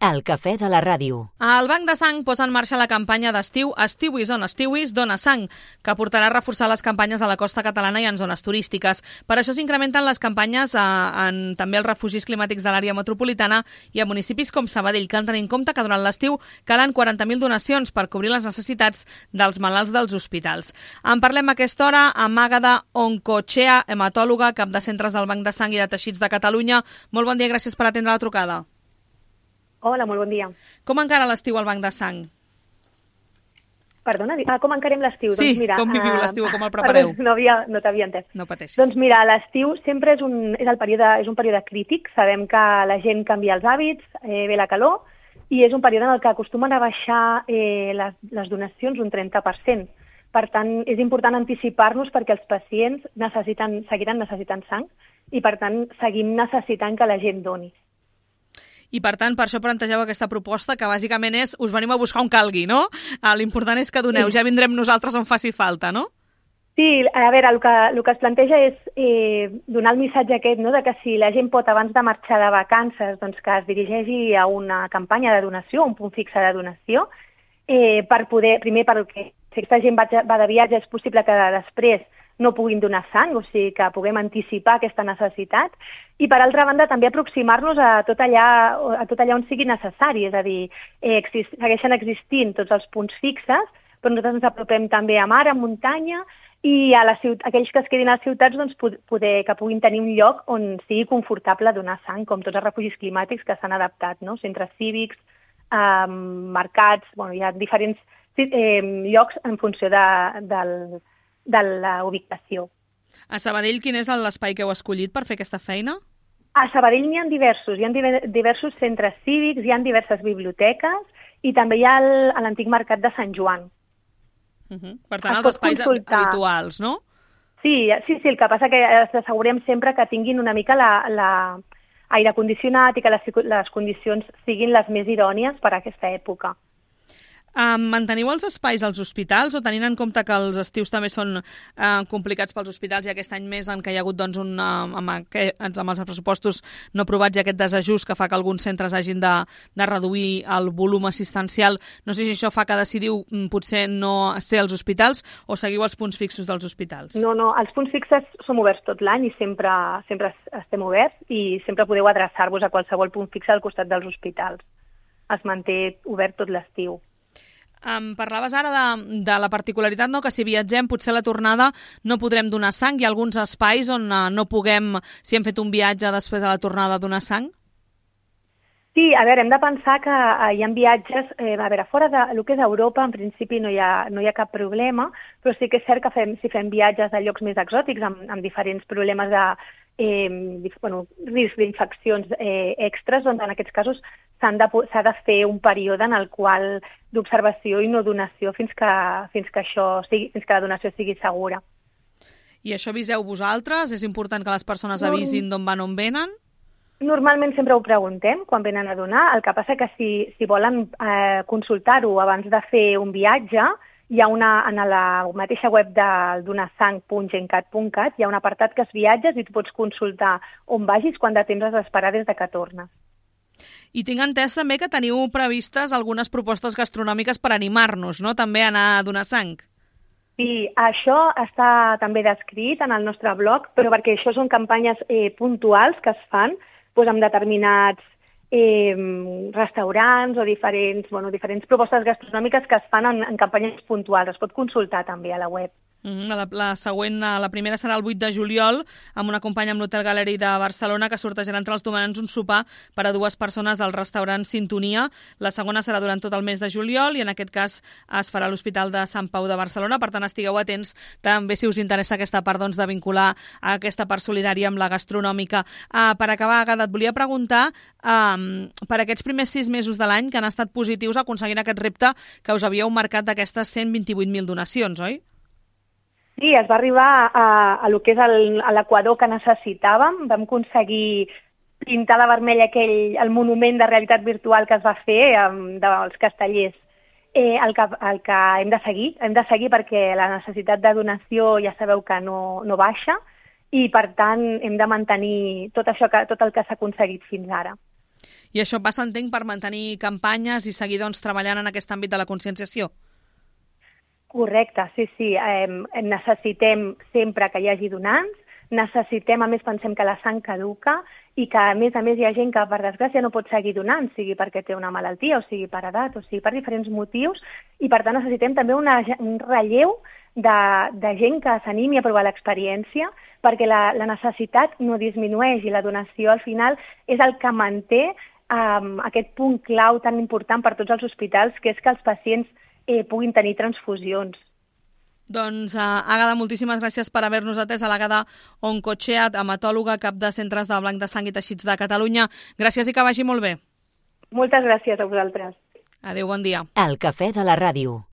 El cafè de la ràdio. El Banc de Sang posa en marxa la campanya d'estiu Estiuis on Estiuis dona sang, que portarà a reforçar les campanyes a la costa catalana i en zones turístiques. Per això s'incrementen les campanyes també als refugis climàtics de l'àrea metropolitana i a municipis com Sabadell, que han de tenir en compte que durant l'estiu calen 40.000 donacions per cobrir les necessitats dels malalts dels hospitals. En parlem a aquesta hora amb Àgueda Oncochea, hematòloga, cap de centres del Banc de Sang i de Teixits de Catalunya. Molt bon dia, gràcies per atendre la trucada. Hola, molt bon dia. Com encara l'estiu al Banc de Sang? Perdona, com encarem l'estiu? Sí, doncs mira, com viviu l'estiu, com el prepareu? Perdó, no t'havia entès. No pateixis. Doncs mira, l'estiu sempre és un període crític. Sabem que la gent canvia els hàbits, ve la calor, i és un període en el que acostumen a baixar les donacions un 30%. Per tant, és important anticipar-nos perquè els pacients seguiran necessitant sang i, per tant, seguim necessitant que la gent doni. I, per tant, per això plantegeu aquesta proposta, que bàsicament és us venim a buscar on calgui, no? L'important és que doneu, ja vindrem nosaltres on faci falta, no? Sí, a veure, el que es planteja és donar el missatge aquest, no?, de que si la gent pot, abans de marxar de vacances, doncs que es dirigeixi a una campanya de donació, un punt fixe de donació, per poder, primer, perquè si aquesta gent va de viatge, és possible que després no puguin donar sang, o sigui que puguem anticipar aquesta necessitat, i per altra banda també aproximar-nos a tot allà on sigui necessari, és a dir, segueixen existint tots els punts fixes, però nosaltres ens apropem també a mar, a muntanya, i a aquells que es quedin a les ciutats doncs, que puguin tenir un lloc on sigui confortable donar sang, com tots els refugis climàtics que s'han adaptat, no? Centres cívics, mercats, hi ha diferents llocs en funció de la ubicació. A Sabadell, quin és l'espai que heu escollit per fer aquesta feina? A Sabadell n'hi ha diversos centres cívics, hi ha diverses biblioteques i també hi ha l'antic mercat de Sant Joan. Per tant, els espais habituals, no? Sí, el que passa que assegurem sempre que tinguin una mica l'aire condicionat i que les condicions siguin les més idònies per a aquesta època. Manteniu els espais als hospitals o tenint en compte que els estius també són complicats pels hospitals i aquest any més en què hi ha hagut doncs, amb els pressupostos no aprovats i aquest desajust que fa que alguns centres hagin de reduir el volum assistencial, no sé si això fa que decidiu potser no ser als hospitals o seguiu els punts fixos dels hospitals? No, els punts fixes som oberts tot l'any i sempre estem oberts i sempre podeu adreçar-vos a qualsevol punt fix al costat dels hospitals. Es manté obert tot l'estiu. Parlaves ara de la particularitat, no? Que si viatgem potser a la tornada no podrem donar sang. Hi ha alguns espais on no puguem, si hem fet un viatge després de la tornada, donar sang? Sí, a veure, hem de pensar que hi ha viatges, fora del que és Europa, en principi no hi ha cap problema, però sí que és cert que si fem viatges a llocs més exòtics, amb diferents problemes risc d'infeccions extres, doncs en aquests casos s'ha de fer un període en el qual d'observació i no donació fins que la donació sigui segura. I això aviseu vosaltres? És important que les persones avisin d'on van, on venen? Normalment sempre ho preguntem quan venen a donar. El que passa que si volen consultar-ho abans de fer un viatge, hi ha en la mateixa web del donasang.gencat.cat hi ha un apartat que és viatges i tu pots consultar on vagis, quant de temps has d'esperar des de que tornes. I tinc entès també que teniu previstes algunes propostes gastronòmiques per animar-nos, no? També a anar a donar sang. Sí, això està també descrit en el nostre blog, però perquè això són campanyes puntuals que es fan amb determinats restaurants o diferents propostes gastronòmiques que es fan en campanyes puntuals. Es pot consultar també a la web. La següent, la primera serà el 8 de juliol, amb una companya amb l'Hotel Gallery de Barcelona que sortejarà entre els donants un sopar per a 2 persones al restaurant Sintonia. La segona serà durant tot el mes de juliol i en aquest cas es farà a l'Hospital de Sant Pau de Barcelona. Per tant, estigueu atents també si us interessa aquesta part de vincular aquesta part solidària amb la gastronòmica. Per acabar, Àgueda, et volia preguntar per aquests primers 6 mesos de l'any que han estat positius aconseguint aquest repte que us havíeu marcat d'aquestes 128.000 donacions, oi? Sí, es va arribar a lo que és l'equador que necessitàvem. Vam aconseguir pintar de vermell el monument de realitat virtual que es va fer dels castellers. El que hem de seguir perquè la necessitat de donació ja sabeu que no baixa i, per tant, hem de mantenir tot el que s'ha aconseguit fins ara. I això passa, entenc, per mantenir campanyes i seguir treballant en aquest àmbit de la conscienciació. Correcte, sí. Necessitem sempre que hi hagi donants, necessitem, a més pensem que la sang caduca i que a més hi ha gent que per desgràcia no pot seguir donant, sigui perquè té una malaltia o sigui per edat o sigui per diferents motius, i per tant necessitem també un relleu de gent que s'animi a provar l'experiència, perquè la necessitat no disminueix i la donació al final és el que manté aquest punt clau tan important per tots els hospitals, que és que els pacients puguin tenir transfusions. Doncs, Àgueda, moltíssimes gràcies per haver-nos atès. A l'Àgueda Oncochea, hematòloga, cap de Centres de Blanc de Sang i Teixits de Catalunya. Gràcies i que vagi molt bé. Moltes gràcies a vosaltres. Adéu, bon dia. El cafè de la ràdio.